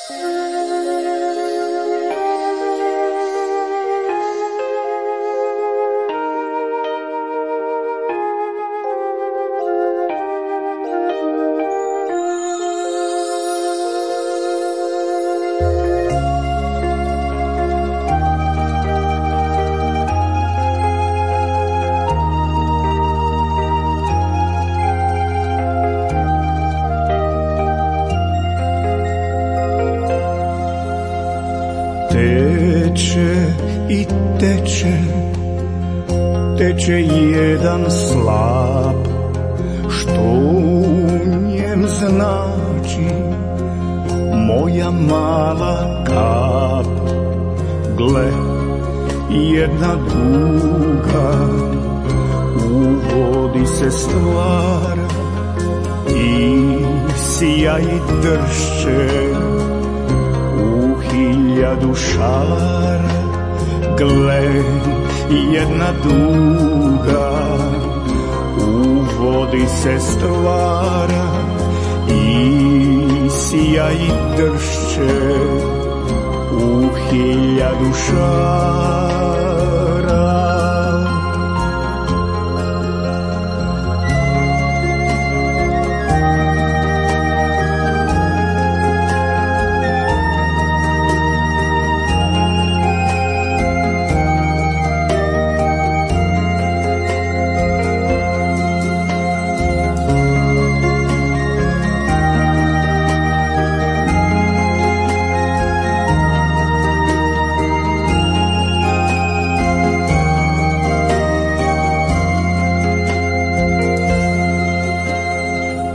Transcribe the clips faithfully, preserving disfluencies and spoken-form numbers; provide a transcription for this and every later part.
Teče i teče, teče jedan slap, što u njem znači moja mala kap. Gle, jedna duga u vodi se stvara i sija i dršće hiljadu šara. Gle, jedna duga u vodi se stvara i sija i dršće u hiljadu šara.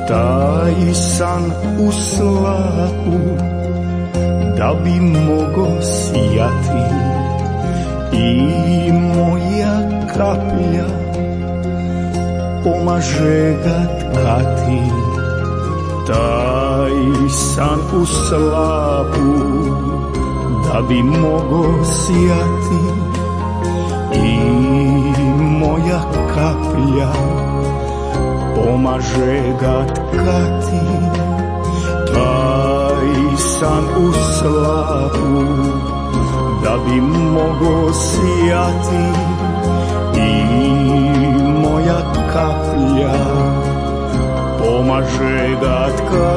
Taj san u slapu da bi mogo sijati i moja kaplja pomaže ga tkati. Taj san u slapu da bi mogo sijati i moja kaplja pomaže ga tkati. Taj san u slapu da bi mogo sijati i moja kaplja pomaže ga tkati.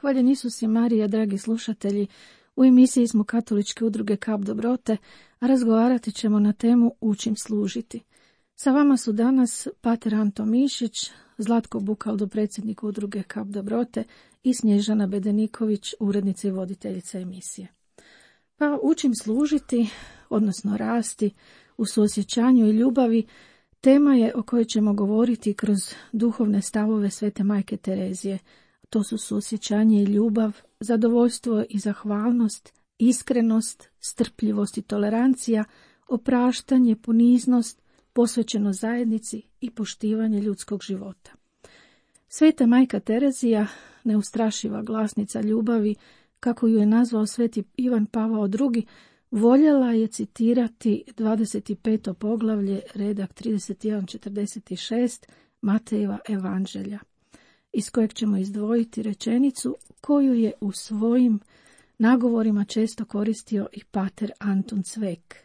Hvaljen Isus i Marija, dragi slušatelji, u emisiji smo Katoličke udruge Kap dobrote, a razgovarati ćemo na temu Učim služiti. Sa vama su danas pater Anto Mišić, Zlatko Bukaldo, predsjednik udruge Kap dobrote, i Snježana Bedeniković, urednica i voditeljica emisije. Pa Učim služiti, odnosno rasti u suosjećanju i ljubavi, tema je o kojoj ćemo govoriti kroz duhovne stavove Svete Majke Terezije. To su suosjećanje i ljubav, zadovoljstvo i zahvalnost, iskrenost, strpljivost i tolerancija, opraštanje, poniznost, posvećenost zajednici i poštivanje ljudskog života. Sveta Majka Terezija, neustrašiva glasnica ljubavi, kako ju je nazvao sveti Ivan Pavao drugi, voljela je citirati dvadeset peto poglavlje, redak trideset jedan četrdeset šest Matejeva evanđelja, iz kojeg ćemo izdvojiti rečenicu koju je u svojim nagovorima često koristio i pater Anton Cvek.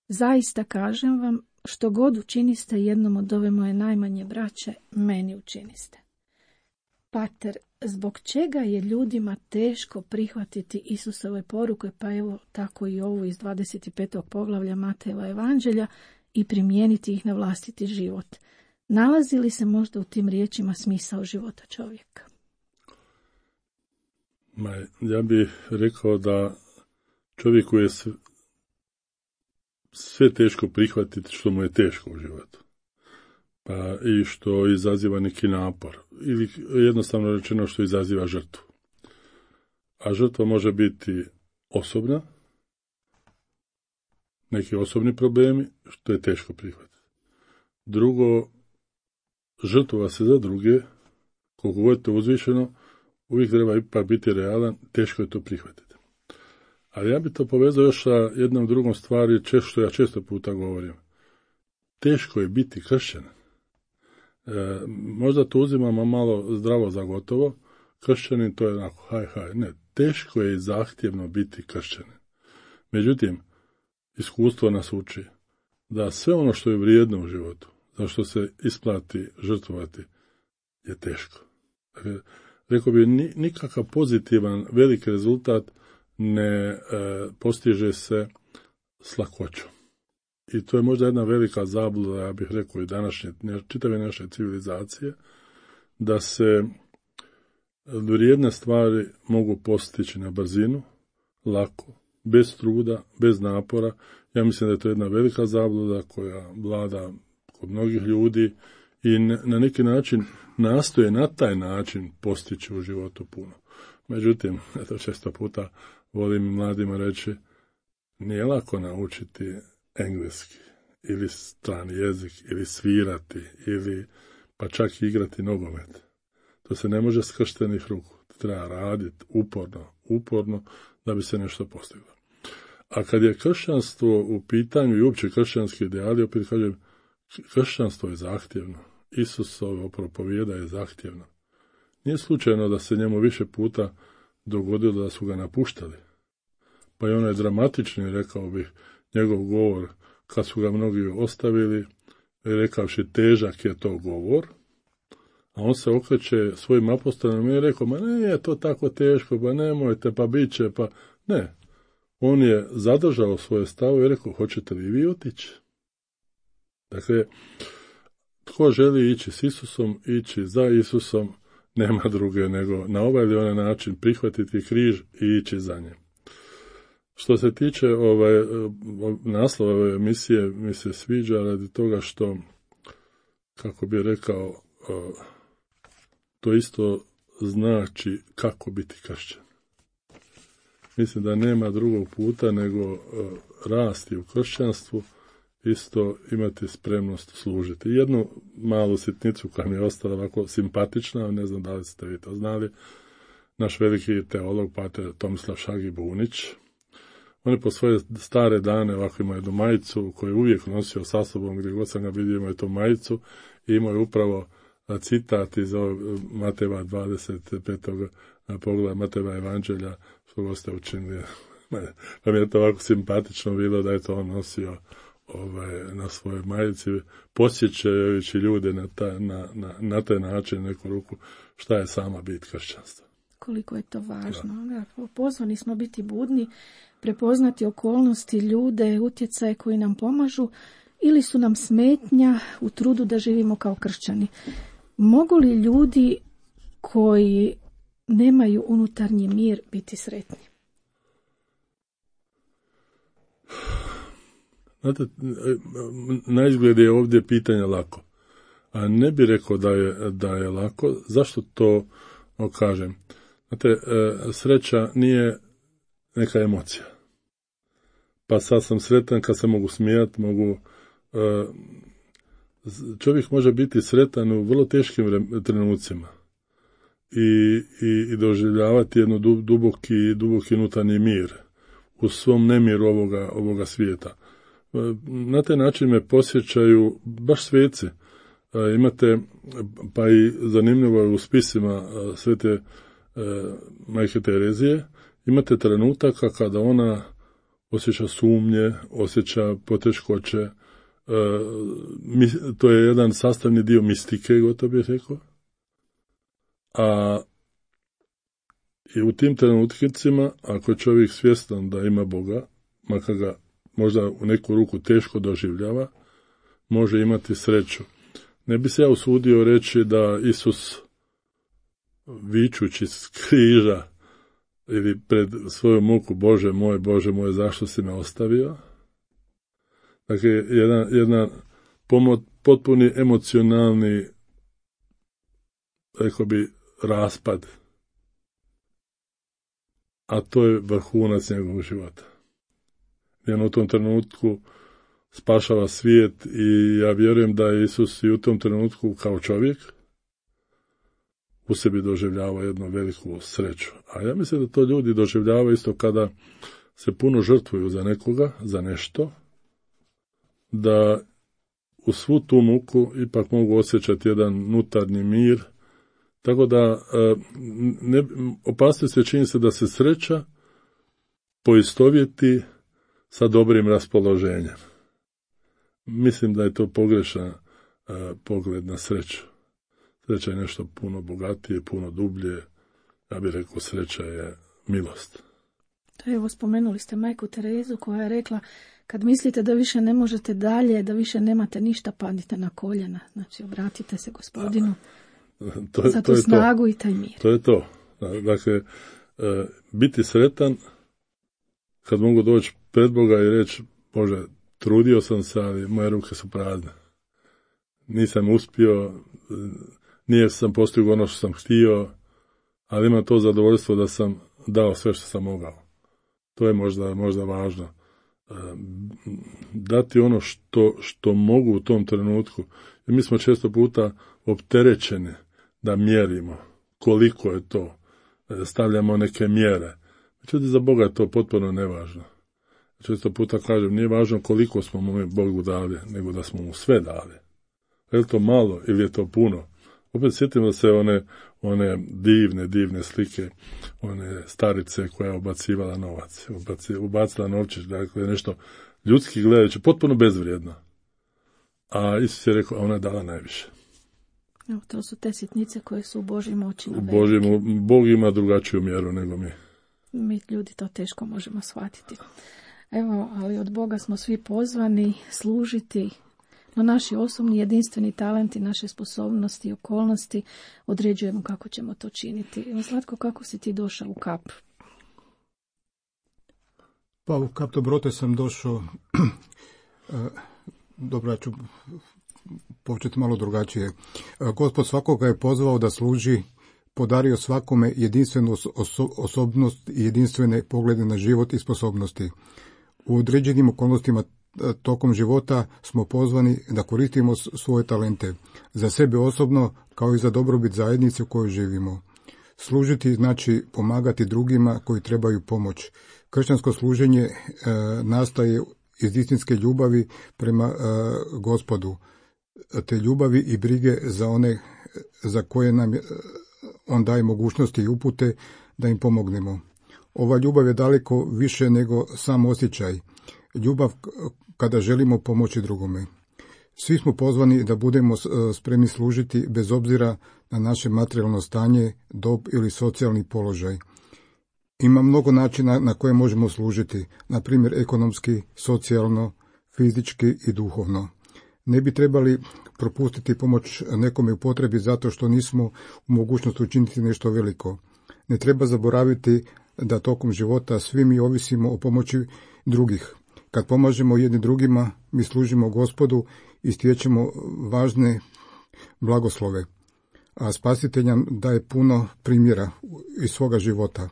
Zaista kažem vam, što god učiniste jednom od ove moje najmanje braće, meni učiniste. Pater, zbog čega je ljudima teško prihvatiti Isusove poruke, pa evo tako i ovu iz dvadeset petog poglavlja Matejeva evanđelja, i primijeniti ih na vlastiti život? Nalazi li se možda u tim riječima smisao života čovjeka? Ma, ja bih rekao da čovjeku je sve teško prihvatiti što mu je teško u životu. Pa i što izaziva neki napor. Ili jednostavno rečeno što izaziva žrtvu. A žrtva može biti osobna, neki osobni problemi, što je teško prihvatiti. Drugo, žrtvova se za druge, koliko god je to uzvišeno, uvijek treba ipak biti realan, teško je to prihvatiti. Ali ja bi to povezao još sa jednom drugom stvari, što ja često puta govorim. Teško je biti kršćan. E, možda to uzimamo malo zdravo za gotovo, kršćanin to je onako, haj, haj, ne, teško je i zahtjevno biti kršćanin. Međutim, iskustvo nas uči da sve ono što je vrijedno u životu, za što se isplati žrtvovati, je teško. Dakle, rekao bi, nikakav pozitivan, veliki rezultat ne e, postiže se s lakoćom. I to je možda jedna velika zabluda, ja bih rekao i današnje, čitave naše civilizacije, da se vrijedne stvari mogu postići na brzinu, lako, bez truda, bez napora. Ja mislim da je to jedna velika zabluda koja vlada kod mnogih ljudi i na neki način nastoje na taj način postići u životu puno. Međutim, eto često puta volim mladima reći, nije lako naučiti engleski ili strani jezik ili svirati ili pa čak i igrati nogomet. To se ne može s krštenih ruku. Treba raditi uporno, uporno da bi se nešto postiglo. A kad je kršćanstvo u pitanju i uopće kršćanski ideali, opet kažem, kršćanstvo je zahtjevno. Isusovo propovijeda je zahtjevno. Nije slučajno da se njemu više puta dogodilo da su ga napuštali. Pa i onaj dramatični, rekao bih, njegov govor, kad su ga mnogi ostavili, rekavši težak je to govor, a on se okreće svojim apostolima i rekao, ma ne je to tako teško, pa nemojte, pa bit će, pa ne. On je zadržao svoje stavo i rekao, hoćete li vi otići? Dakle, tko želi ići s Isusom, ići za Isusom, nema druge nego na ovaj ili onaj način prihvatiti križ i ići za njim. Što se tiče ovaj, naslova ove emisije, mi se sviđa radi toga što, kako bi rekao, to isto znači kako biti kršćan. Mislim da nema drugog puta nego rasti u kršćanstvu, isto imati spremnost služiti. Jednu malu sitnicu koja mi je ostala ovako simpatična, ne znam da li ste vi to znali, naš veliki teolog, pater Tomislav Šagi-Bunić, on je po svoje stare dane ovako imao jednu majicu koju je uvijek nosio sa sobom, gdje god sam ga vidio imao je tu majicu i imao je upravo citat iz Matejeva dvadeset petog pogleda Matejeva evanđelja, što god ste učinili. Pa mi je to ovako simpatično bilo da je to on nosio ovaj, na svojoj majici, posjećajući ljude na, ta, na, na, na taj način neku ruku šta je sama bit kršćanstva. Koliko je to važno. Da. Pozvani smo biti budni, prepoznati okolnosti, ljude, utjecaje koji nam pomažu ili su nam smetnja u trudu da živimo kao kršćani. Mogu li ljudi koji nemaju unutarnji mir biti sretni? Znate, na izgled je ovdje pitanje lako. A ne bi rekao da je, da je lako. Zašto to kažem? Znate, sreća nije neka emocija. Pa sad sam sretan kad se mogu smijati, mogu... Čovjek može biti sretan u vrlo teškim trenucima i, i, i doživljavati jednu duboki, duboki unutarnji mir u svom nemiru ovoga, ovoga svijeta. Na taj način me posjećaju baš sveci. Imate, pa i zanimljivo je u spisima svete majke Terezije, imate trenutaka kada ona osjeća sumnje, osjeća poteškoće. To je jedan sastavni dio mistike, gotovo bih rekao. A i u tim trenutkicima, ako je čovjek svjestan da ima Boga, makar ga možda u neku ruku teško doživljava, može imati sreću. Ne bi se ja usudio reći da Isus, vičući s križa ili pred svoju muku, Bože moj, Bože moj, zašto si me ostavio? Dakle, jedan, jedan pomo, potpuni emocionalni, rekao bi, raspad. A to je vrhunac njegovog života. Jer u tom trenutku spašava svijet i ja vjerujem da je Isus i u tom trenutku kao čovjek u sebi doživljava jednu veliku sreću. A ja mislim da to ljudi doživljavaju isto kada se puno žrtvuju za nekoga, za nešto, da u svu tu muku ipak mogu osjećati jedan unutarnji mir. Tako da ne, opasnost je čini se da se sreća poistovjeti sa dobrim raspoloženjem. Mislim da je to pogrešan uh, pogled na sreću. Sreća je nešto puno bogatije, puno dublje. Ja bih rekao, sreća je milost. Evo, spomenuli ste majku Terezu koja je rekla, kad mislite da više ne možete dalje, da više nemate ništa, padnite na koljena. Znači, obratite se Gospodinu to je, za tu to je snagu to. i taj mir. To je to. Dakle, uh, biti sretan kad mogu doći pred Boga i reći, Bože, trudio sam se, ali moje ruke su prazne. Nisam uspio, nije sam postigao ono što sam htio, ali imam to zadovoljstvo da sam dao sve što sam mogao. To je možda, možda važno. Dati ono što, što mogu u tom trenutku. I mi smo često puta opterećeni da mjerimo koliko je to. Stavljamo neke mjere. Međutim, za Boga je to potpuno nevažno. Često puta kažem, nije važno koliko smo mu Bogu dali, nego da smo mu sve dali. Je li to malo ili je to puno? Opet sjetimo se one, one divne, divne slike, one starice koja je obacivala novac, ubaci, ubacila novčić, dakle nešto ljudski gledajući, potpuno bezvrijedno. A Isus je rekao, a ona je dala najviše. Evo, to su te sitnice koje su u Božjim očima. U Božjim, Bog ima drugačiju mjeru nego mi. Mi ljudi to teško možemo shvatiti. Evo, ali od Boga smo svi pozvani služiti, no naši osobni jedinstveni talenti, naše sposobnosti i okolnosti određujemo kako ćemo to činiti. Evo, Zlatko, kako si ti došao u Kap? Pa u Kap Dobrote sam došao, dobro, ja ću početi malo drugačije. Gospod svakoga je pozvao da služi, podario svakome jedinstvenu oso- osobnost i jedinstvene poglede na život i sposobnosti. U određenim okolnostima tokom života smo pozvani da koristimo svoje talente za sebe osobno kao i za dobrobit zajednice u kojoj živimo. Služiti znači pomagati drugima koji trebaju pomoć. Kršćansko služenje e, nastaje iz istinske ljubavi prema e, Gospodu, te ljubavi i brige za one za koje nam on daje mogućnosti i upute da im pomognemo. Ova ljubav je daleko više nego sam osjećaj. Ljubav kada želimo pomoći drugome. Svi smo pozvani da budemo spremni služiti bez obzira na naše materijalno stanje, dob ili socijalni položaj. Ima mnogo načina na koje možemo služiti, na primjer ekonomski, socijalno, fizički i duhovno. Ne bi trebali propustiti pomoć nekome u potrebi zato što nismo u mogućnosti učiniti nešto veliko. Ne treba zaboraviti da tokom života svi mi ovisimo o pomoći drugih. Kad pomažemo jedni drugima, mi služimo Gospodu i stječemo važne blagoslove. A Spasitelj nam daje puno primjera iz svoga života.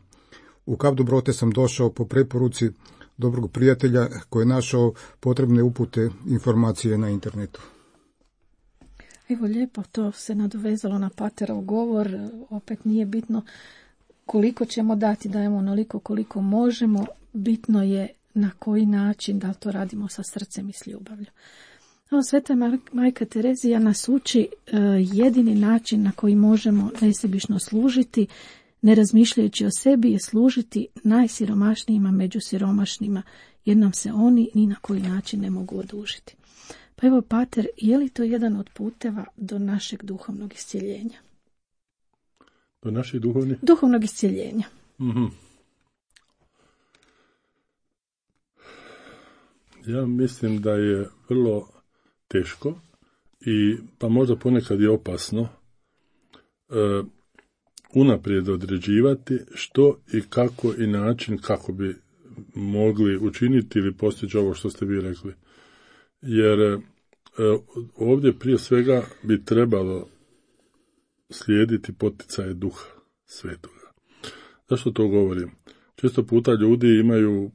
U Kap Dobrote sam došao po preporuci dobrog prijatelja koji je našao potrebne upute, informacije na internetu. Evo, lijepo, to se nadovezalo na Paterov govor. Opet nije bitno koliko ćemo dati, dajemo onoliko koliko možemo. Bitno je na koji način, da to radimo sa srcem i s ljubavlju. Evo, Sveta majka Terezija nas uči uh, jedini način na koji možemo nesebično služiti, ne razmišljajući o sebi, je služiti najsiromašnijima među siromašnima, jer nam se oni ni na koji način ne mogu odužiti. Pa evo, Pater, je li to jedan od puteva do našeg duhovnog iscjeljenja? Do našeg duhovnih? Duhovnog iscjeljenja. Mm-hmm. Ja mislim da je vrlo teško i pa možda ponekad je opasno e, unaprijed određivati što i kako i način kako bi mogli učiniti ili postići ovo što ste vi rekli. jer e, ovdje prije svega bi trebalo slijediti poticaje Duha Svetoga. Zašto to govorim? Često puta ljudi imaju,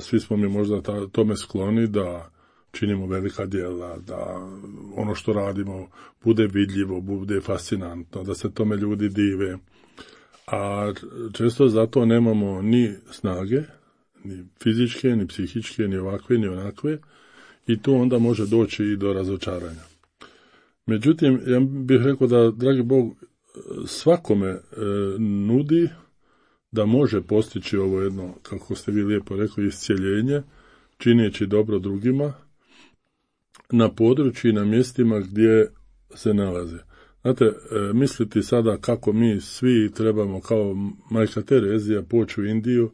svi smo mi možda ta, tome skloni da činimo velika djela, da ono što radimo bude vidljivo, bude fascinantno, da se tome ljudi dive, a često zato nemamo ni snage, ni fizičke, ni psihičke, ni ovakve, ni onakve, i tu onda može doći i do razočaranja. Međutim, ja bih rekao da, dragi Bog, svakome e, nudi da može postići ovo jedno, kako ste vi lijepo rekli, iscjeljenje, čineći dobro drugima, na području i na mjestima gdje se nalaze. Znate, e, misliti sada kako mi svi trebamo kao majka Terezija poći u Indiju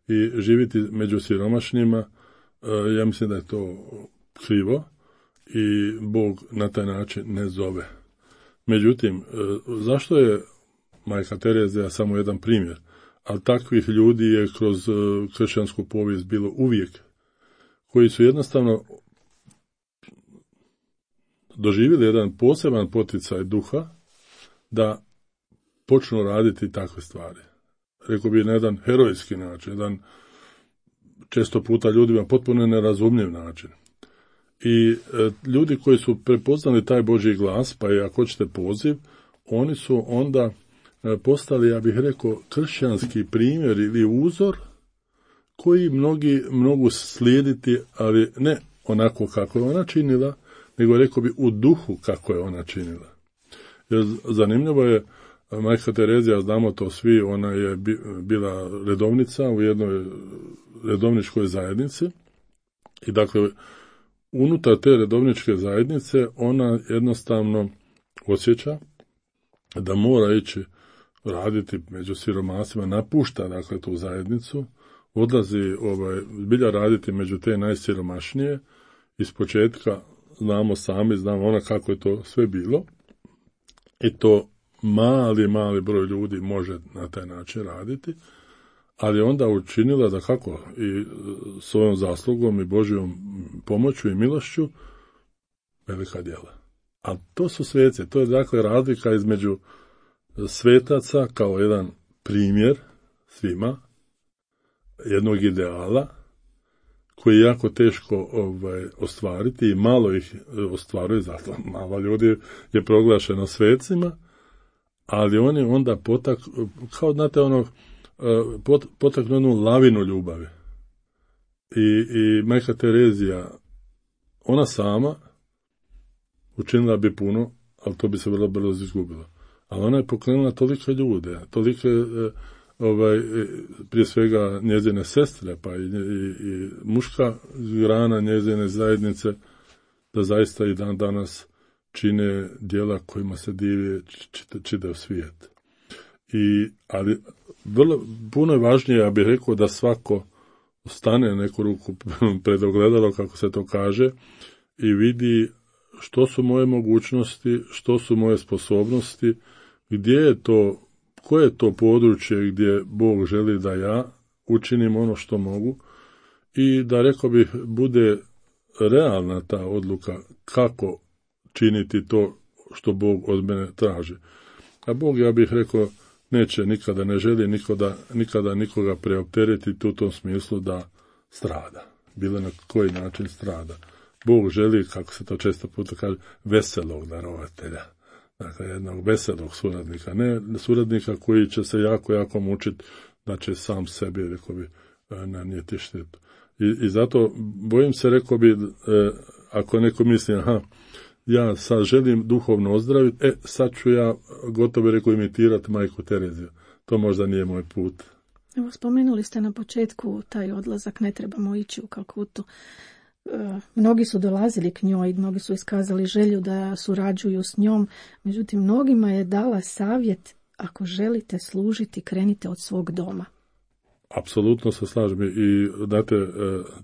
i živjeti među siromašnima, e, ja mislim da je to krivo i Bog na taj način ne zove. Međutim, e, zašto je majka Terezija samo jedan primjer? Ali takvih ljudi je kroz e, kršćansku povijest bilo uvijek, koji su jednostavno doživjeli jedan poseban poticaj Duha da počnu raditi takve stvari. Rekao bi na jedan herojski način, jedan često puta ljudima potpuno nerazumljiv način. I e, ljudi koji su prepoznali taj Božji glas, pa i ako hoćete poziv, oni su onda e, postali, ja bih rekao, kršćanski primjer ili uzor koji mnogi mogu slijediti, ali ne onako kako je ona činila, nego rekao bi u duhu kako je ona činila. Jer zanimljivo je, majka Terezija, znamo to svi, ona je bila redovnica u jednoj redovničkoj zajednici i dakle unutar te redovničke zajednice ona jednostavno osjeća da mora ići raditi među siromasima, napušta dakle tu zajednicu, odlazi ovaj, zbilja raditi među te najsiromašnije. Iz početka znamo sami, znamo ona kako je to sve bilo i to mali, mali broj ljudi može na taj način raditi, ali onda učinila da kako i svojom zaslugom i Božjom pomoću i milošću velika djela. A to su sveci, to je dakle razlika između svetaca kao jedan primjer svima, jednog ideala, koji je jako teško ovaj, ostvariti i malo ih ostvaruje, zato malo ljudi je proglašeno svecima, ali oni onda potak, kao znate ono, pot, potaknu jednu lavinu ljubavi. I, i majka Terezija, ona sama učinila bi puno, ali to bi se vrlo brzo izgubilo. Ali ona je pokrenula tolike ljude, tolike ovaj, prije svega njezine sestre, pa i, i, i muška grana njezine zajednice, da zaista i dan danas čine djela kojima se divi čitav svijet. I, ali vrlo, puno je važnije, ja bih rekao, da svako stane neku ruku pred ogledalo, kako se to kaže, i vidi što su moje mogućnosti, što su moje sposobnosti, gdje je to, koje je to područje gdje Bog želi da ja učinim ono što mogu i da, rekao bih, bude realna ta odluka kako činiti to što Bog od mene traži. A Bog, ja bih rekao, neće nikada, ne želi nikoda, nikada nikoga preopteretiti u tom smislu da strada. Bilo na koji način strada. Bog želi, kako se to često puta kaže, veselog darovatelja. Dakle, jednog veselog suradnika. Ne suradnika koji će se jako, jako mučiti da će sam sebi, rekao bi, nanijeti štetu. I, i zato bojim se, rekao bi, eh, ako neko misli, aha, ja sad želim duhovno ozdraviti, e, sad ću ja gotovo rekao imitirati majku Tereziju. To možda nije moj put. Evo, spomenuli ste na početku taj odlazak, ne trebamo ići u Kalkutu. E, mnogi su dolazili k njoj, mnogi su iskazali želju da surađuju s njom, međutim, mnogima je dala savjet, ako želite služiti, krenite od svog doma. Apsolutno se slažem i, znate,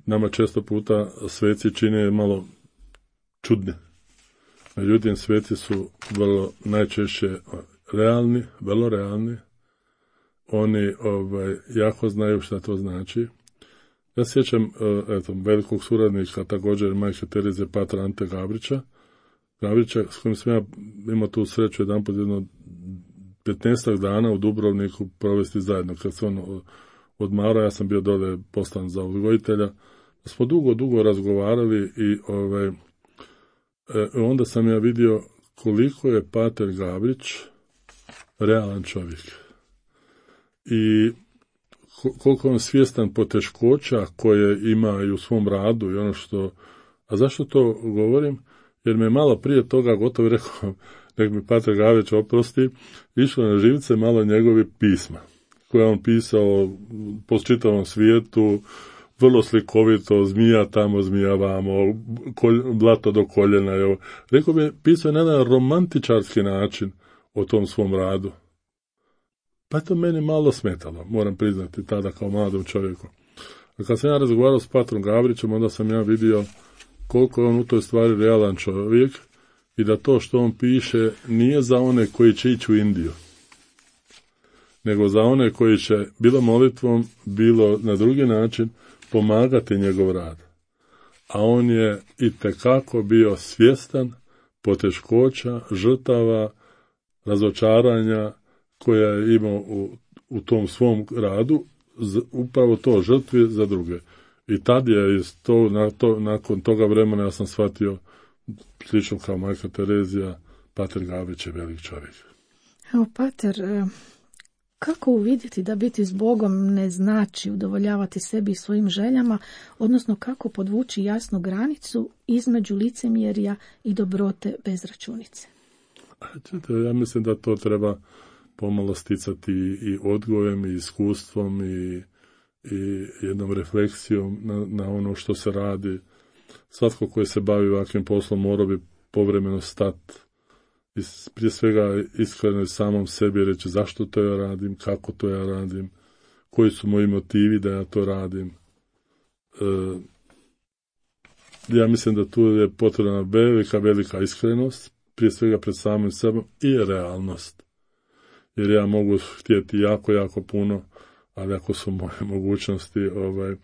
nama često puta sveci čine malo čudne. Međutim, sveci su vrlo najčešće realni, vrlo realni. Oni ovaj, jako znaju šta to znači. Ja sjećam eto, velikog suradnika, također majke Tereze, pater Ante Gabrića, Gabrića, s kojim sam ja imao tu sreću jedan pod jedno petnaestak dana u Dubrovniku provesti zajedno. Kad se on odmarao, ja sam bio dole poslan za odgojitelja. Smo dugo, dugo razgovarali i ovaj, e, onda sam ja vidio koliko je pater Gabrić realan čovjek. I koliko on svjestan poteškoća koje ima i u svom radu i ono što... A zašto to govorim? Jer me malo prije toga gotovo rekao, nek mi pater Gabrić oprosti, išlo na živce malo njegovi pisma, koje on pisao po čitavom svijetu, vrlo slikovito, zmija tamo, zmija vamo, kolj, blato do koljena. Evo. Rekao bi, pisao na jedan romantičarski način o tom svom radu. Pa je to meni malo smetalo, moram priznati, tada kao mladom čovjeku. A kad sam ja razgovarao s patrom Gabrićem, onda sam ja vidio koliko je on u toj stvari realan čovjek i da to što on piše nije za one koji će ići u Indiju, nego za one koji će bilo molitvom, bilo na drugi način pomagati njegov rad. A on je itekako bio svjestan poteškoća, žrtava, razočaranja koja je imao u, u tom svom radu, upravo to, žrtvi za druge. I tad je iz to, na to, nakon toga vremena ja sam shvatio, slično kao majka Terezija, pater Gabrić je velik čovjek. Evo, pater, kako uvidjeti da biti s Bogom ne znači udovoljavati sebi i svojim željama, odnosno kako podvući jasnu granicu između licemjerja i dobrote bez računice? Ja mislim da to treba pomalo sticati i odgojem, i iskustvom, i, i jednom refleksijom na, na ono što se radi. Svatko koji se bavi ovakvim poslom mora bi povremeno stati i prije svega iskreno samom sebi reći zašto to ja radim, kako to ja radim, koji su moji motivi da ja to radim. E, ja mislim da tu je potrebna velika, velika iskrenost, prije svega pred samim sebom i realnost. Jer ja mogu htjeti jako, jako puno, ali ako su moje mogućnosti, ovaj,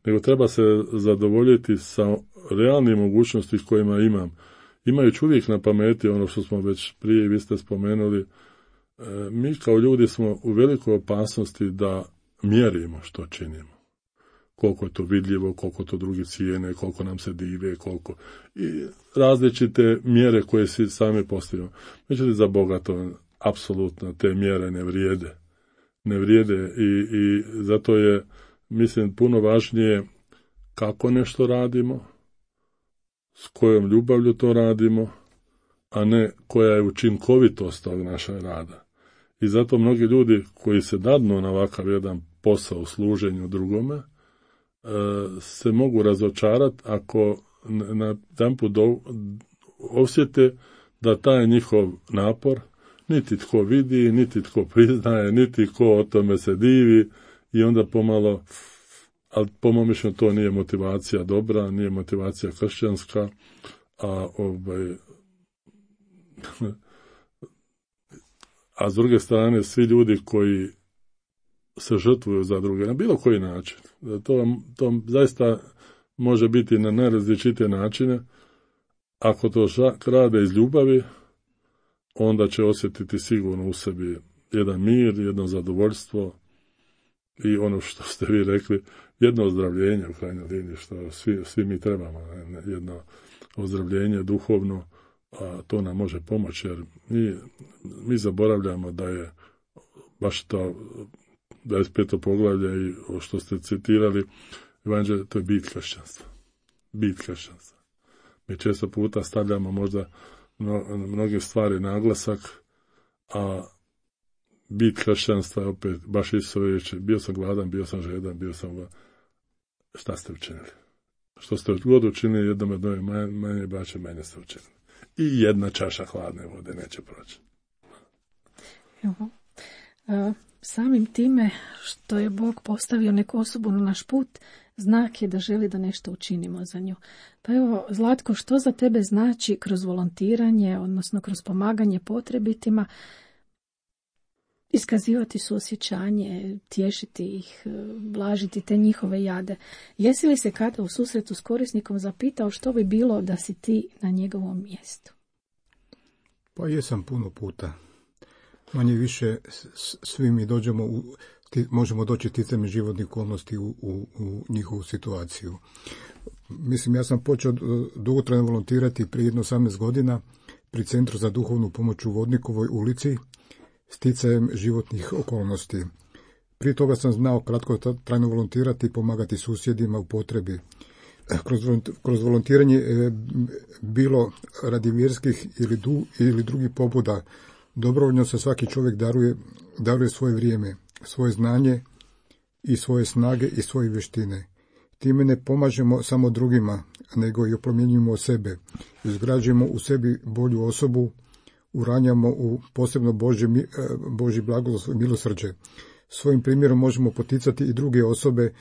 nego treba se zadovoljiti sa realnim mogućnosti kojima imam. Imajući uvijek na pameti ono što smo već prije, vi ste spomenuli, e, mi kao ljudi smo u velikoj opasnosti da mjerimo što činimo. Koliko je to vidljivo, koliko to drugi cijene, koliko nam se dive, koliko... I različite mjere koje si sami postavimo. Međutim, za Boga to apsolutno te mjere ne vrijede. Ne vrijede i, i zato je, mislim, puno važnije kako nešto radimo, s kojom ljubavlju to radimo, a ne koja je učinkovitost tog našeg rada. I zato mnogi ljudi koji se dadnu na ovakav jedan posao u služenju drugome, se mogu razočarati ako na jedanput osjete da taj njihov napor niti tko vidi, niti tko priznaje, niti tko o tome se divi i onda pomalo, ali po mom mišljenju to nije motivacija dobra, nije motivacija kršćanska, a ovaj a s druge strane svi ljudi koji se žrtvuju za druge na bilo koji način. To, to zaista može biti na najrazličitije načine. Ako to rade iz ljubavi, onda će osjetiti sigurno u sebi jedan mir, jedno zadovoljstvo i ono što ste vi rekli, jedno ozdravljenje u krajnjoj liniji, što svi, svi mi trebamo, jedno ozdravljenje duhovno, a to nam može pomoći, jer mi, mi zaboravljamo da je baš to dvadeset peto poglavlje i što ste citirali, evanđelje, to je bit kršćanstva. Bit kršćanstva. Mi često puta stavljamo možda na mnoge stvari naglasak, a bit kršćanstva je opet baš isto reći, bio sam gladan, bio sam žedan, bio sam gladan. Šta ste učinili? Što ste god učinili jednom od nove manje, manje braće, manje ste učinili. I jedna čaša hladne vode neće proći. Evo, e, samim time što je Bog postavio neku osobu na naš put, znak je da želi da nešto učinimo za nju. Pa evo, Zlatko, što za tebe znači kroz volontiranje, odnosno kroz pomaganje potrebitima, iskazivati suosjećanje, tješiti ih, blažiti te njihove jade. Jesi li se kada u susretu s korisnikom zapitao što bi bilo da si ti na njegovom mjestu? Pa jesam puno puta. Manje više svi mi dođemo u, možemo doći ticajem životnih okolnosti u, u, u njihovu situaciju. Mislim, ja sam počeo dugotrajno volontirati prije jedno osamnaest godina pri Centru za duhovnu pomoć u Vodnikovoj ulici, sticajem životnih okolnosti. Prije toga sam znao kratko trajno volontirati i pomagati susjedima u potrebi. Kroz, kroz volontiranje je bilo radi vjerskih ili, du, ili drugih pobuda. Dobrovoljno se svaki čovjek daruje, daruje svoje vrijeme, svoje znanje i svoje snage i svoje vještine. Time ne pomažemo samo drugima, nego i oplemenjujemo sebe. Izgrađujemo u sebi bolju osobu, uranjamo u posebno Božje, Božji blagoslov i milosrđe. Svojim primjerom možemo poticati i druge osobe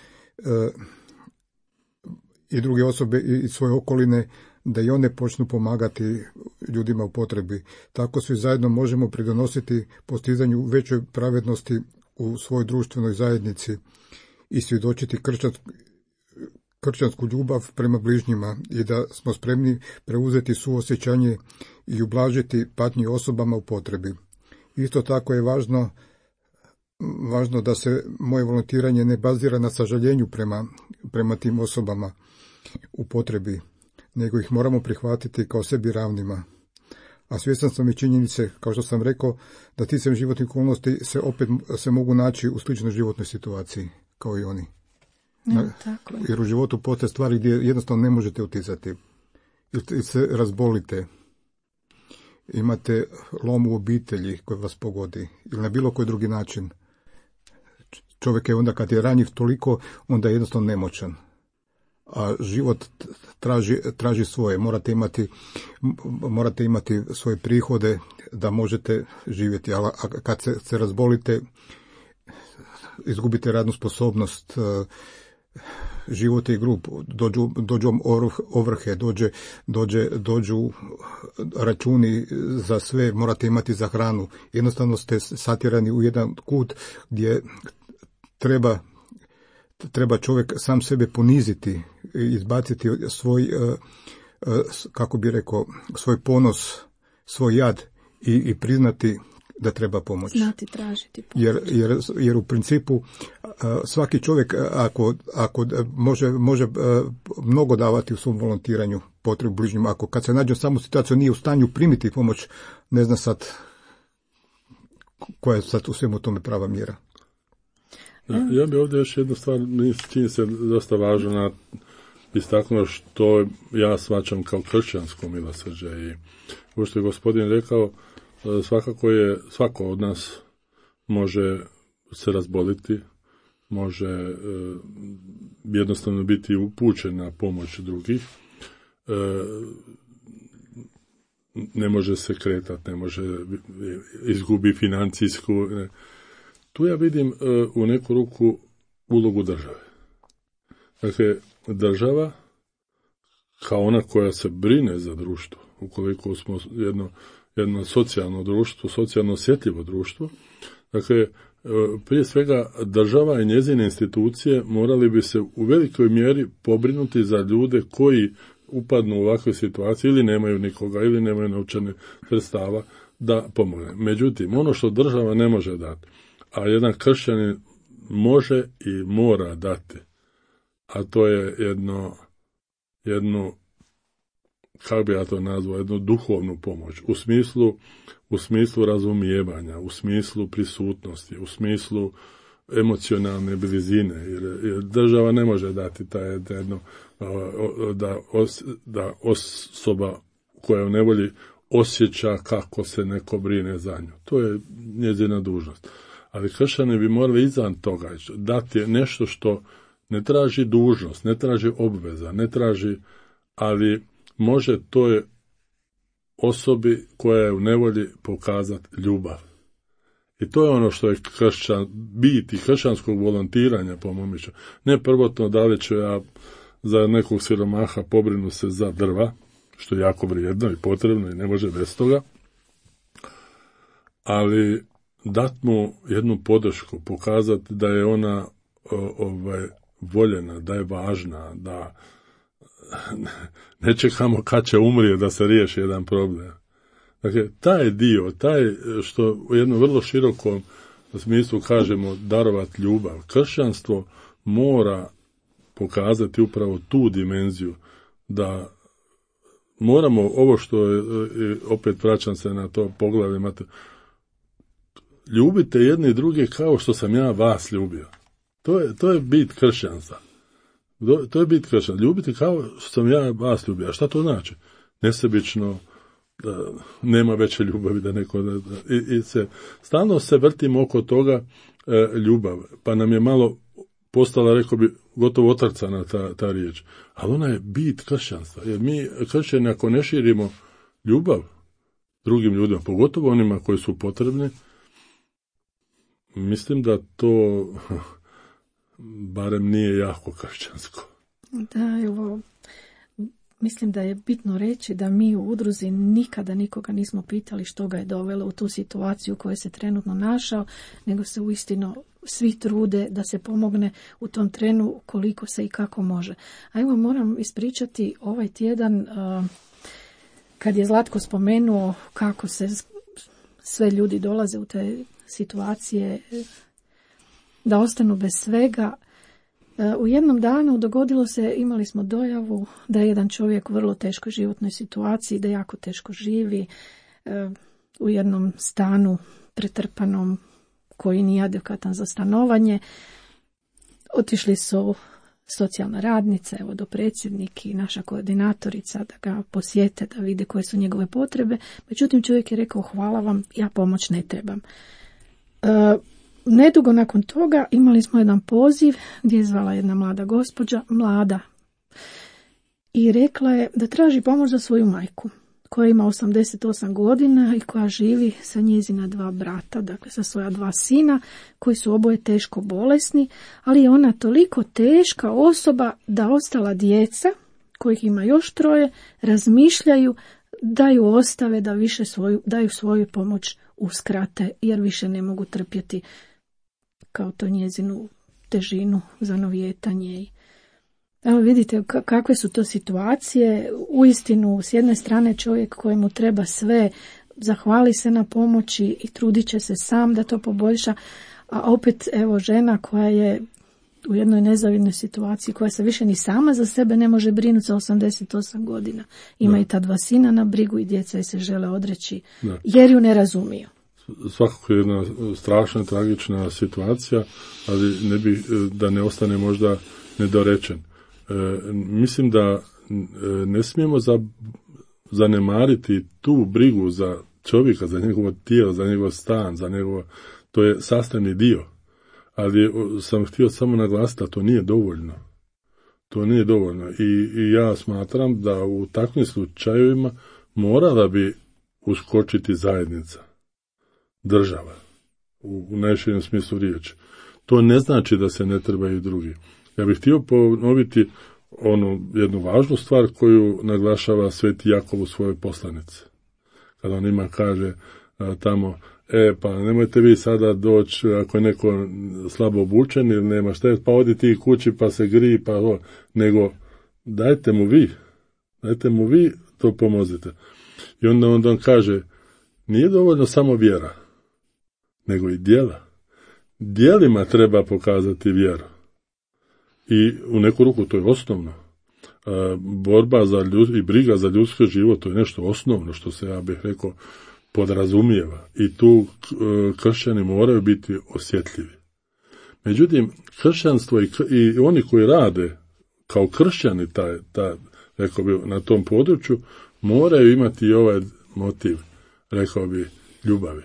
i druge osobe i svoje okoline da i one počnu pomagati ljudima u potrebi. Tako svi zajedno možemo pridonositi postizanju većoj pravednosti u svojoj društvenoj zajednici i svjedočiti kršćansku, kršćansku ljubav prema bližnjima i da smo spremni preuzeti suosjećanje i ublažiti patnji osobama u potrebi. Isto tako je važno, važno da se moje volontiranje ne bazira na sažaljenju prema, prema tim osobama u potrebi, nego ih moramo prihvatiti kao sebi ravnima. A svjestan sam i činjenice, kao što sam rekao, da ticajem životnih okolnosti se opet se mogu naći u sličnoj životnoj situaciji kao i oni. Ja, tako je. Jer u životu postoje stvari gdje jednostavno ne možete utjecati. Ili se razbolite, imate lom u obitelji koji vas pogodi, ili na bilo koji drugi način. Čovjek je onda kad je ranjiv toliko, onda je jednostavno nemoćan. A život traži, traži svoje. Morate imati, morate imati svoje prihode da možete živjeti. A kad se, se razbolite, izgubite radnu sposobnost, život je grub, dođu, dođu ovrhe, dođe, dođe, dođu računi za sve, morate imati za hranu. Jednostavno ste satjerani u jedan kut gdje treba treba čovjek sam sebe poniziti, izbaciti svoj, kako bi rekao, svoj ponos, svoj jad i, i priznati da treba pomoć. Znati tražiti pomoć. Jer, jer, jer u principu svaki čovjek ako, ako može, može mnogo davati u svom volontiranju potrebu bližnjim, ako kad se nađe samo situaciju nije u stanju primiti pomoć, ne zna sad koja je sad u svemu tome prava mjera. Ja bih ovdje još jednu stvar, čini se dosta važno istaknuo što ja shvaćam kao kršćansko milosrđe i ovo što je gospodin rekao, svakako je, svako od nas može se razboliti, može e, jednostavno biti upućen na pomoć drugih, e, ne može se kretati, ne može izgubi financijsku. Ne. Tu ja vidim e, u neku ruku ulogu države. Dakle, država kao ona koja se brine za društvo, ukoliko smo jedno, jedno socijalno društvo, socijalno osjetljivo društvo, dakle, prije svega država i njezine institucije morali bi se u velikoj mjeri pobrinuti za ljude koji upadnu u ovakve situacije ili nemaju nikoga ili nemaju novčane sredstava da pomogne. Međutim, ono što država ne može dati, a jedan kršćanin može i mora dati, a to je jedno, jednu, kako bi ja to nazvao, jednu duhovnu pomoć, u smislu, u smislu razumijevanja, u smislu prisutnosti, u smislu emocionalne blizine, jer, jer država ne može dati taj jedno, da, os, da osoba koja u nevolji osjeća kako se neko brine za nju. To je njezina dužnost. Ali kršćani bi morali izvan toga dati nešto što ne traži dužnost, ne traži obveza, ne traži, ali može toj osobi koja je u nevolji pokazati ljubav. I to je ono što je kršćan, biti kršćanskog volontiranja, po mom mišljenju. Ne prvotno da li ću ja za nekog siromaha pobrinu se za drva, što je jako vrijedno i potrebno i ne može bez toga, ali dat mu jednu podršku, pokazati da je ona o, ovaj, voljena, da je važna, da ne čekamo kad će umrije da se riješi jedan problem. Dakle, taj dio, taj što u jednom vrlo širokom smislu kažemo darovati ljubav, kršćanstvo mora pokazati upravo tu dimenziju, da moramo ovo što je, opet vraćam se na to poglavlje, ljubite jedni i druge kao što sam ja vas ljubio. To je, to je bit kršćanstva. To je bit kršćanstva. Ljubite kao što sam ja vas ljubio. A šta to znači? Nesebično, da nema veće ljubavi da neko... Da, da, i, i se, stalno se vrtimo oko toga e, ljubav. Pa nam je malo postala, rekao bi, gotovo otrcana ta, ta riječ. Ali ona je bit kršćanstva. Jer mi, kršćani, ako ne širimo ljubav drugim ljudima, pogotovo onima koji su potrebni, mislim da to barem nije jako kršćansko. Da, evo, mislim da je bitno reći da mi u udruzi nikada nikoga nismo pitali što ga je dovelo u tu situaciju u kojoj se trenutno našao, nego se uistinu svi trude da se pomogne u tom trenu koliko se i kako može. A evo moram ispričati ovaj tjedan kad je Zlatko spomenuo kako se sve ljudi dolaze u te situacije da ostanu bez svega. U jednom danu dogodilo se, imali smo dojavu da je jedan čovjek u vrlo teškoj životnoj situaciji, da jako teško živi u jednom stanu pretrpanom koji nije adekvatan za stanovanje. Otišli su socijalna radnica, evo do predsjednik i naša koordinatorica da ga posjete, da vide koje su njegove potrebe. Međutim, čovjek je rekao hvala vam, ja pomoć ne trebam. E, nedugo nakon toga imali smo jedan poziv gdje je zvala jedna mlada gospođa, mlada, i rekla je da traži pomoć za svoju majku koja ima osamdeset osam godina i koja živi sa njezina dva brata, dakle sa svoja dva sina koji su oboje teško bolesni, ali je ona toliko teška osoba da ostala djeca, kojih ima još troje, razmišljaju da ju ostave, da više svoju, daju svoju pomoć uskrate jer više ne mogu trpjeti kao to njezinu težinu, zanovijetanje i evo vidite kakve su to situacije. Uistinu, s jedne strane čovjek kojemu treba sve, zahvali se na pomoći i trudit će se sam da to poboljša, a opet evo žena koja je u jednoj nezavidnoj situaciji, koja se više ni sama za sebe ne može brinuti za osamdeset osam godina. Ima da. I ta dva sina na brigu i djeca se žele odreći da. Jer ju ne razumiju. Svakako je jedna strašna, tragična situacija, ali ne bi, da ne ostane možda nedorečen. E, mislim da e, ne smijemo za, zanemariti tu brigu za čovjeka, za njegovo tijelo, za njegov stan, za njegovo, to je sastavni dio. Ali sam htio samo naglasiti da to nije dovoljno. To nije dovoljno. I, i ja smatram da u takvim slučajevima morala bi uskočiti zajednica, država, u, u najširem smislu riječi. To ne znači da se ne trebaju drugi. Ja bih htio ponoviti onu jednu važnu stvar koju naglašava Sveti Jakov u svojoj poslanici. Kada on ima kaže a, tamo, e pa nemojte vi sada doći ako je neko slabo obučen ili nema šta je, pa odi ti kući pa se griji, pa o, nego dajte mu vi, dajte mu vi to pomozite. I onda, onda on kaže, nije dovoljno samo vjera, nego i djela. Djelima treba pokazati vjeru. I u neku ruku to je osnovno. E, borba za ljud, i briga za ljudski život, to je nešto osnovno što se, ja bih rekao, podrazumijeva. I tu e, kršćani moraju biti osjetljivi. Međutim, kršćanstvo i, i oni koji rade kao kršćani taj, taj, rekao bi, na tom području, moraju imati i ovaj motiv, rekao bi, ljubavi.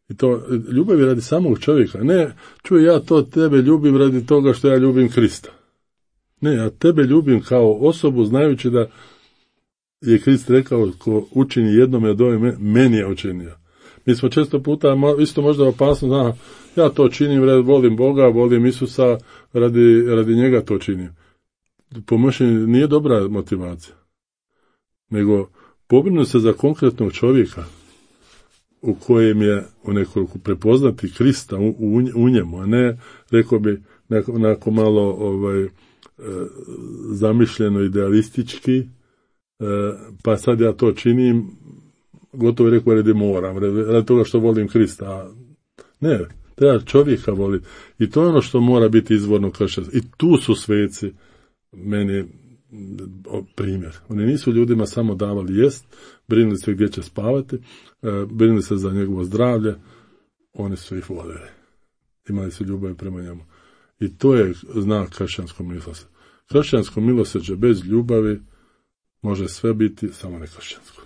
I to ljubavi radi samog čovjeka. Ne, čuj, ja to tebe ljubim radi toga što ja ljubim Krista. Ne, ja tebe ljubim kao osobu znajući da je Krist rekao ko učini jednome od ove meni je učinio. Mi smo često puta isto možda opasno, zna, ja to činim, volim Boga, volim Isusa, radi, radi njega to činim. Po mišljenju nije dobra motivacija. Nego pobrinu se za konkretnog čovjeka. u kojem je u nekoliko prepoznati Krista u, u, u njemu, a ne, rekao bi, onako malo ovaj, e, zamišljeno idealistički, e, pa sad ja to činim, gotovo je rekao, radi moram, radi toga što volim Krista. A ne, treba čovjeka voliti. I to je ono što mora biti izvorno kršćanstvo. I tu su sveci meni primjer. Oni nisu ljudima samo davali jest, brinuli se gdje će spavati, brinuli se za njegovo zdravlje, oni su ih voljeli. Imali su ljubav prema njemu. I to je znak kršćanskog milosrđa. Kršćansko milosrđe bez ljubavi može sve biti, samo ne kršćansko.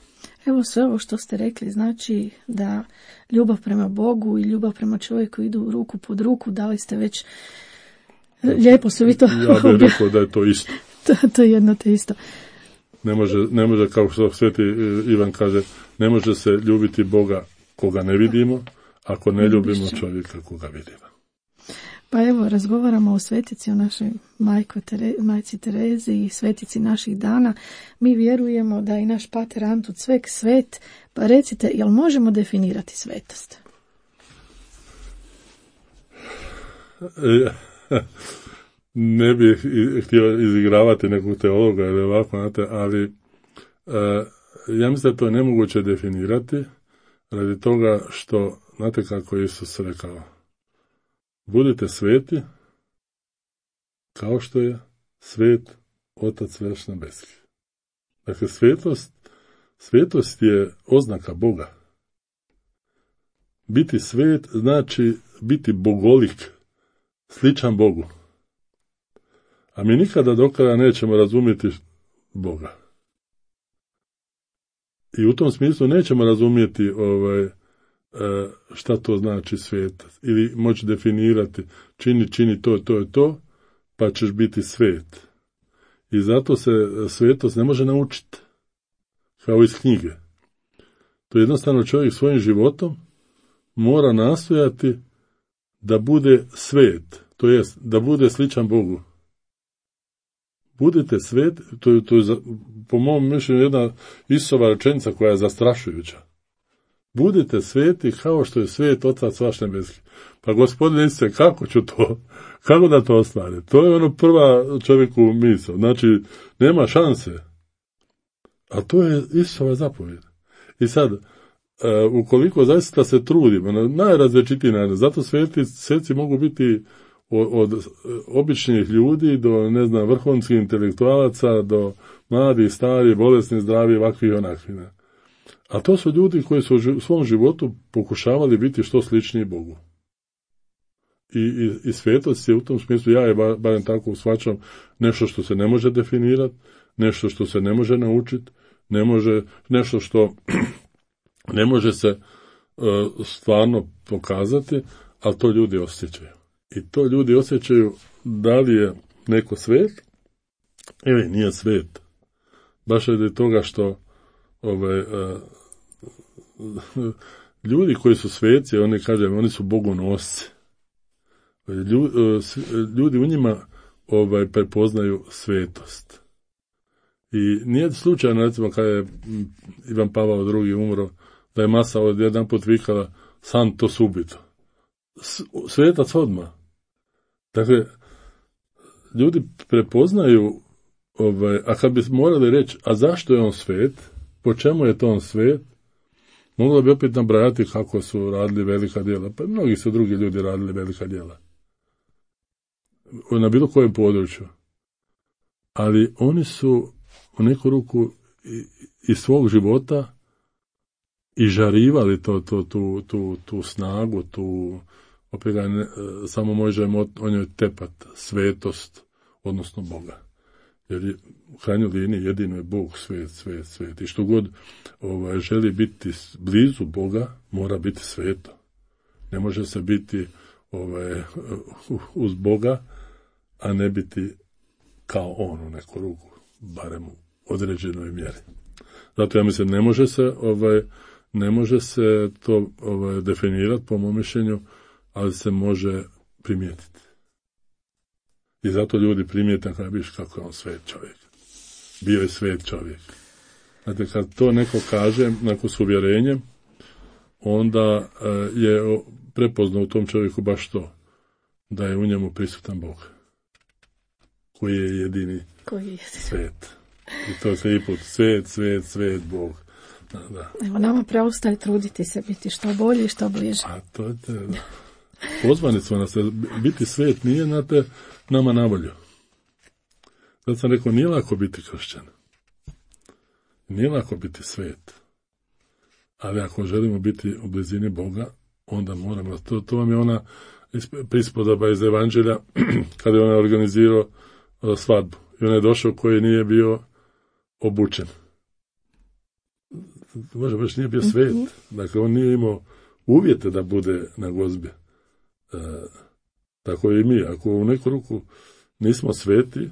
Evo sve ovo što ste rekli znači da ljubav prema Bogu i ljubav prema čovjeku idu ruku pod ruku, dali ste već lijepo su vi to... Ja bih rekao da je to isto. to, to je jedno te isto. Ne može, ne može, kao što sveti Ivan kaže, ne može se ljubiti Boga koga ne vidimo, ako ne ljubimo čovjeka koga vidimo. Pa evo, razgovaramo o svetici, o našoj majko Tere, majci Terezi i svetici naših dana. Mi vjerujemo da je i naš pater Antun Cvek svet, pa recite, jel možemo definirati svetost? Ne bih htio izigravati nekog teologa ili ovako, znate, ali uh, ja mislim da to je nemoguće definirati radi toga što, znate kako je Isus rekao, budite sveti kao što je svet Otac vaš nebeski. Dakle, svetost, svetost je oznaka Boga. Biti svet znači biti bogolik, sličan Bogu. A mi nikada do kraja nećemo razumjeti Boga. I u tom smislu nećemo razumjeti ovaj, šta to znači svet. Ili moći definirati, čini, čini to, to je to, pa ćeš biti svet. I zato se svetost ne može naučiti. Kao iz knjige. To jednostavno čovjek svojim životom mora nastojati da bude svet. To jest, da bude sličan Bogu. Budite svet, to je, to je za, po mom mišljenju jedna Isusova rečenica koja je zastrašujuća. Budite sveti kao što je svet Otac vaš nebeski. Pa Gospodine Isuse, kako ću to? Kako da to ostvarim? To je ono prva čovjeku misao. Znači, nema šanse. A to je Isusova zapovjed. I sad, uh, ukoliko zaista se trudimo, na najrazličitiji način, zato sveti, sveci mogu biti od, od običnih ljudi do, ne znam, vrhunskih intelektualaca, do mladih, starih, bolesnih, zdravih, ovakvih i onakvih. A to su ljudi koji su u svom životu pokušavali biti što sličniji Bogu. I, i, i svetost je u tom smislu, ja je bar, barem tako shvaćam, nešto što se ne može definirati, nešto što se ne može naučiti, ne može, nešto što ne može se uh, stvarno pokazati, ali to ljudi osjećaju. I to ljudi osjećaju da li je neko svet ili nije svet. Baš od toga što ovaj, uh, ljudi koji su sveci, oni kažem, oni su bogonosci. Ljudi, uh, ljudi u njima ovaj, prepoznaju svetost. I nije slučajno, recimo, kada je Ivan Pavao drugi umro, da je masa od jedan put vikala santo subito. Svetac odmah. Dakle, ljudi prepoznaju, ovaj, a kad bi morali reći, a zašto je on svet, po čemu je to on svet, moglo bi opet nabrajati kako su radili velika djela. Pa mnogi su drugi ljudi radili velika djela. Na bilo kojem području. Ali oni su u neku ruku iz svog života i žarivali to, to, tu, tu, tu snagu, tu, opet ga ne, samo možemo o njoj tepat, svetost, odnosno Boga. Jer je, u krajnjoj liniji jedino je Bog svet, svet, svet. I što god ovaj, želi biti blizu Boga, mora biti sveto. Ne može se biti ovaj, uz Boga, a ne biti kao on u neku ruku, barem u određenoj mjeri. Zato ja mislim, ne može se, ovaj, ne može se to ovaj, definirati po mom mišljenju, ali se može primijetiti. I zato ljudi primijete kada vidiš kako je on svet čovjek. Bio je svet čovjek. Znate, kad to neko kaže, neko s uvjerenjem, onda je prepoznao u tom čovjeku baš to, da je u njemu prisutan Bog, koji je jedini koji je jedini svet. I to se i put svet, svet, svet, Bog. Da, da. Evo, nama preostaje truditi se biti što bolji i što bliže. A to je te, da. Pozvani smo nas, biti svet nije na te nama navolju. Zato sam rekao, nije lako biti kršćan. Nije lako biti svet. Ali ako želimo biti u blizini Boga, onda moramo. To, to vam je ona prispodoba iz Evanđelja, kada je on organizirao svadbu. I on je došao koji nije bio obučen. Može, baš nije bio svet. Dakle, on nije imao uvjete da bude na gozbi. E, tako i mi. Ako u neku ruku nismo sveti,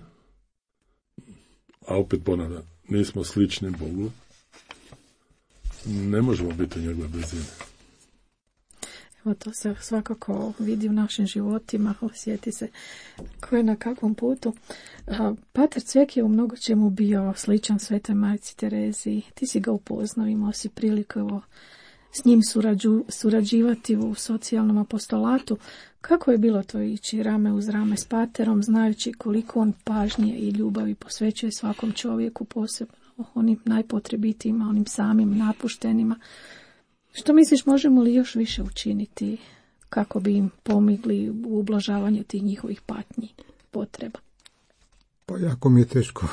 a opet ponavljam, nismo slični Bogu, ne možemo biti u njegove blizini. Evo, to se svakako vidi u našim životima, osjeti se ko je na kakvom putu. Pater Cvek je u mnogo čemu bio sličan Svetoj Majci Tereziji. Ti si ga upoznao, imao si priliku s njim surađu, surađivati u socijalnom apostolatu. Kako je bilo to ići rame uz rame s paterom, znajući koliko on pažnje i ljubavi posvećuje svakom čovjeku, posebno onim najpotrebitijima, onim samim napuštenima. Što misliš, možemo li još više učiniti kako bi im pomogli u ublažavanju tih njihovih patnji, potreba? Pa jako mi je teško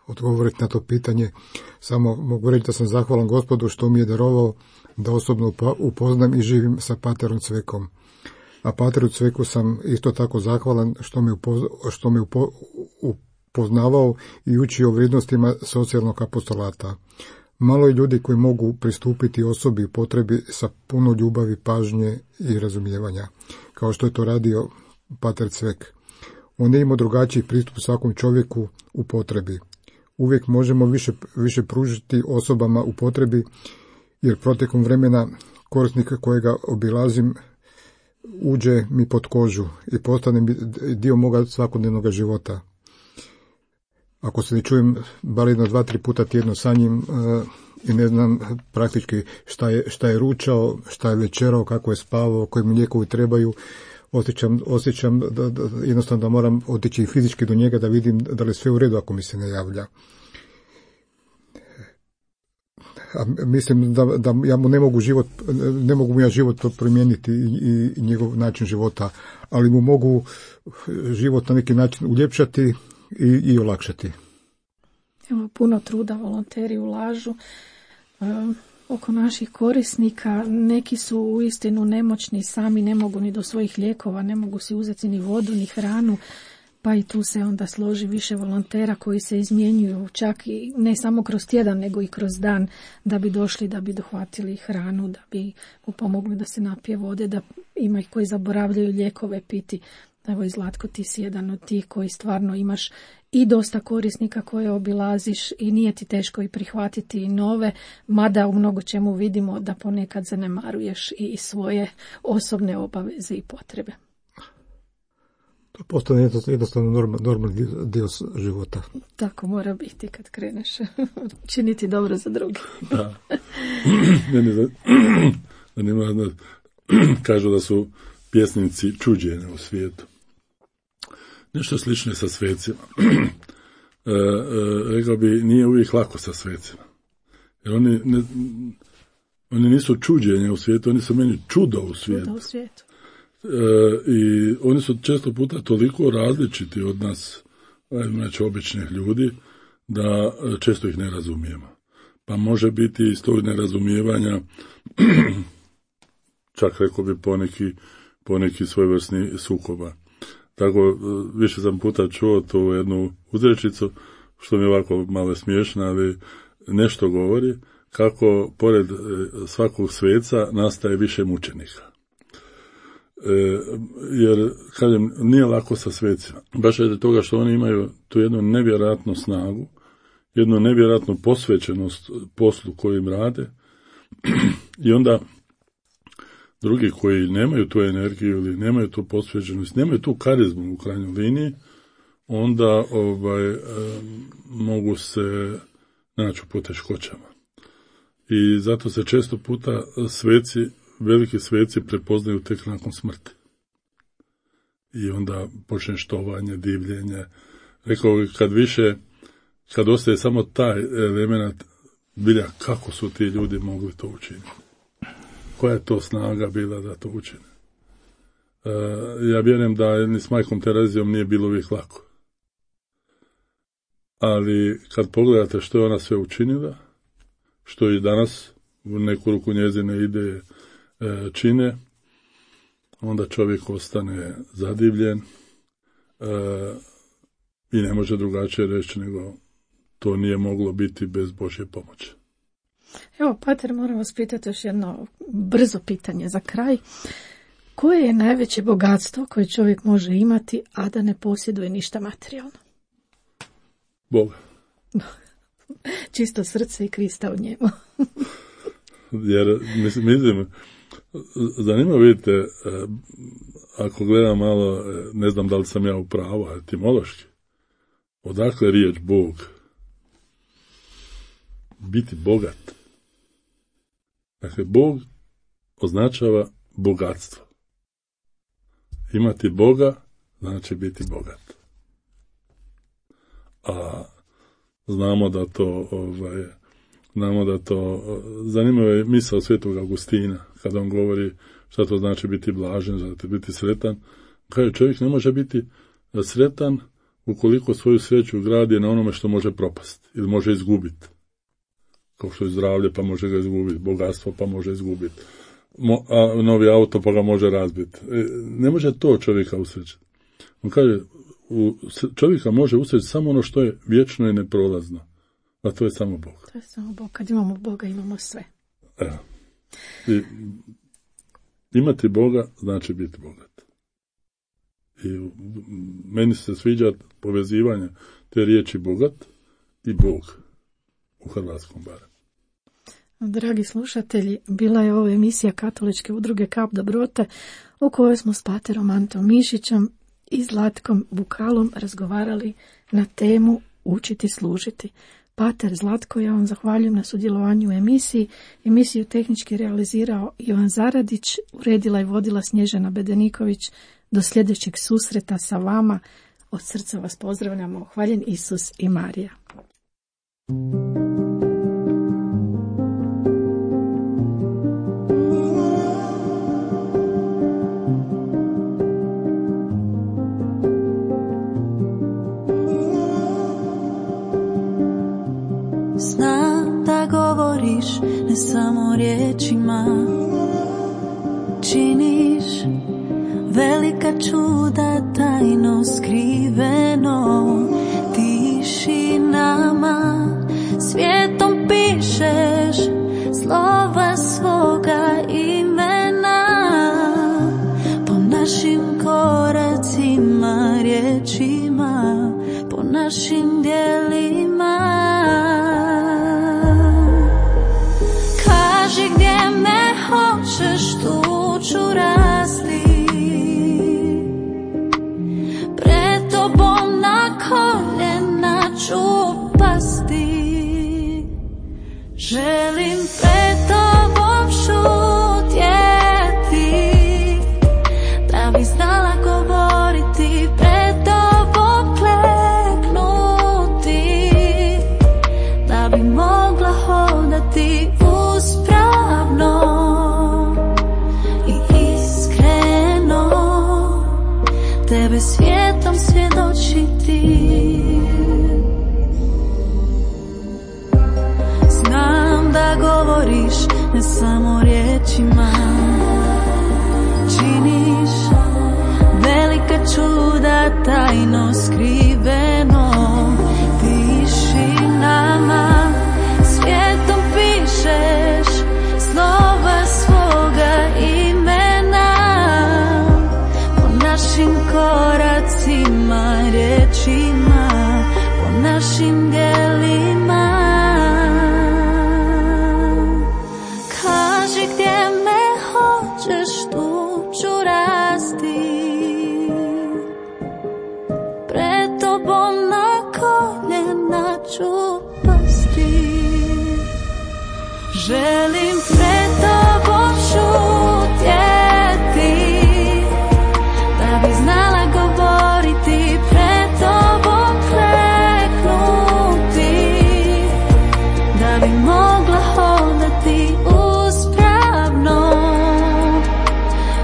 odgovoriti na to pitanje. Samo mogu reći da sam zahvalan Gospodu što mi je darovao da osobno upoznam i živim sa paterom Cvekom. A pateru Cveku sam isto tako zahvalan što me, upoz, što me upo, upoznavao i učio vrijednostima socijalnog apostolata. Malo je ljudi koji mogu pristupiti osobi u potrebi sa puno ljubavi, pažnje i razumijevanja, kao što je to radio pater Cvek. On je imao drugačiji pristup svakom čovjeku u potrebi. Uvijek možemo više, više pružiti osobama u potrebi, jer protekom vremena korisnika kojega obilazim uđe mi pod kožu i postane mi dio moga svakodnevnog života. Ako se ne čujem bar jedno dva, tri puta tjedno sa njim uh, i ne znam praktički šta je, šta je ručao, šta je večerao, kako je spavao, koji mu lijekovi trebaju, osjećam, osjećam da, da, jednostavno da moram otići fizički do njega da vidim da li sve u redu ako mi se ne javlja. A mislim da, da ja mu ne mogu život, ne mogu mu ja život promijeniti i, i, i njegov način života, ali mu mogu život na neki način uljepšati i, i olakšati. Evo, puno truda volonteri ulažu um, oko naših korisnika. Neki su uistinu nemoćni, sami ne mogu ni do svojih lijekova, ne mogu si uzeti ni vodu, ni hranu, pa i tu se onda složi više volontera koji se izmjenjuju čak i ne samo kroz tjedan, nego i kroz dan, da bi došli, da bi dohvatili hranu, da bi mu pomogli da se napije vode, da ima ih koji zaboravljaju lijekove piti. Evo i Zlatko, ti si jedan od tih koji stvarno imaš i dosta korisnika koje obilaziš i nije ti teško i prihvatiti i nove, mada u mnogo čemu vidimo da ponekad zanemaruješ i svoje osobne obaveze i potrebe. To postane jednostavno normalni normal dio života. Tako mora biti kad kreneš činiti dobro za druge. Da. Meni da, da nema, da, kažu da su pjesnici čuđenja u svijetu. Nešto slično je sa svecima. E, e, rekao bi, nije uvijek lako sa svecima. Jer oni, ne, oni nisu čuđenja u svijetu, oni su meni čudo u svijetu. Čudo u svijetu. E, I oni su često puta toliko različiti od nas, znači običnih ljudi, da često ih ne razumijemo. Pa može biti iz tog nerazumijevanja čak rekao bi poneki, poneki svojevrsni sukoba. Tako, više sam puta čuo tu jednu uzrečicu, što mi je ovako malo smiješno, ali nešto govori, kako pored svakog sveca nastaje više mučenika. E, jer, kažem, nije lako sa svecima. Baš je toga što oni imaju tu jednu nevjerojatnu snagu, jednu nevjerojatnu posvećenost poslu kojim rade, i onda drugi koji nemaju tu energiju ili nemaju tu posvećenost, nemaju tu karizmu u krajnjoj liniji, onda ovaj, e, mogu se naći u poteškoćama. I zato se često puta sveci, veliki sveci prepoznaju tek nakon smrti. I onda počne štovanje, divljenje. Rekao bih, kad više, kad ostaje samo taj element, bilja kako su ti ljudi mogli to učiniti. Koja je to snaga bila da to učine? Uh, ja vjerujem da ni s majkom Terezijom nije bilo uvijek lako. Ali kad pogledate što je ona sve učinila, što i danas u neku ruku njezine ideje e, čine, onda čovjek ostane zadivljen e, i ne može drugačije reći nego to nije moglo biti bez Božje pomoći. Evo, pater, moram vas pitati još jedno brzo pitanje za kraj. Koje je najveće bogatstvo koje čovjek može imati, a da ne posjeduje ništa materijalno? Boga. Čisto srce i Krista u njemu. Jer, mislim, mislim zanimljivo, vidite, ako gledam malo, ne znam da li sam ja u pravu, etimološki, odakle riječ Bog? Biti bogat. Dakle, Bog označava bogatstvo. Imati Boga znači biti bogat. A znamo da to, ovaj, znamo da to, zanimljiva je misao Svetog Augustina, kada on govori šta to znači biti blažen, znači biti sretan. Kaže, čovjek ne može biti sretan ukoliko svoju sreću gradi na onome što može propasti ili može izgubiti. Kao što je zdravlje, pa može ga izgubiti, bogatstvo, pa može izgubiti, Mo, a novi auto, pa ga može razbiti. E, ne može to čovjeka usrećiti. On kaže, u, čovjeka može usrećiti samo ono što je vječno i neprolazno, a to je samo Bog. To je samo Bog. Kad imamo Boga, imamo sve. Evo. I, imati Boga znači biti bogat. I meni se sviđa povezivanje te riječi bogat i Bog u hrvatskom barem. Dragi slušatelji, bila je ovo emisija Katoličke udruge Kap dobrote u kojoj smo s paterom Antom Mišićem i Zlatkom Bukalom razgovarali na temu Učiti služiti. Pater Zlatko, ja vam zahvaljujem na sudjelovanju u emisiji. Emisiju tehnički realizirao Ivan Zaradić, uredila i vodila Snježana Bedeniković. Do sljedećeg susreta sa vama. Od srca vas pozdravljamo. Hvaljen Isus i Marija. Znam da govoriš ne samo riječima, činiš velika čuda tajno skriveno, tišinama svijetom pišeš slova svoga imena. Po našim koracima, riječima, po našim djelima. Kaži gdje me hoćeš, tu ću rasti. Pred tobom na koljena ću pasti. Želim pred tobom šutjeti, da bi znala govoriti, pred tobom kleknuti, da bi mogla hodati uspravno i iskreno, tebe svijetom svjedočiti. Znam da govoriš ne samo riječima, činiš velika čuda tajno skriveno, tišinama svijetom pišeš slova svoga imena. Po našim koracima, riječima, po našim djelima. Kaži gdje me hoćeš, tu ću rasti. Pred tobom na koljena ću pasti. Želim pred tobom šutjeti, da bi znala govoriti, pred tobom kleknuti, da bi mogla hodati uspravno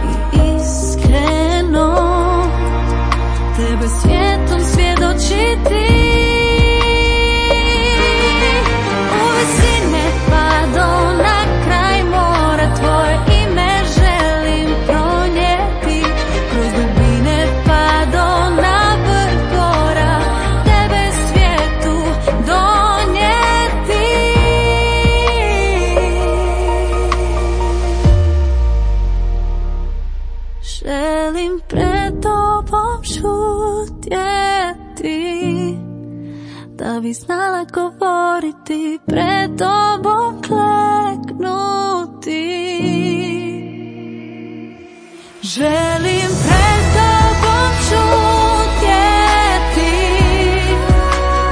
i iskreno, tebe svijetom svjedočiti. Želim pred tobom šutjeti, da bi znala govoriti, pred tobom kleknuti. Želim pred tobom šutjeti,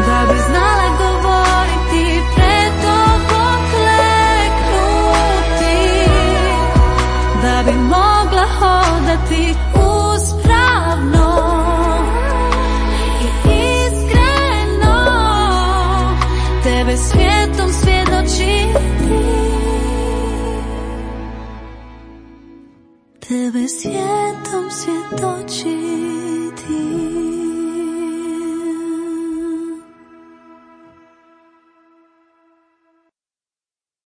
da bi znala govoriti, pred tobom kleknuti, da bi mogla hodati uspravno i iskreno, tebe svijetom svjedočiti, tebe svijetom svjedočiti.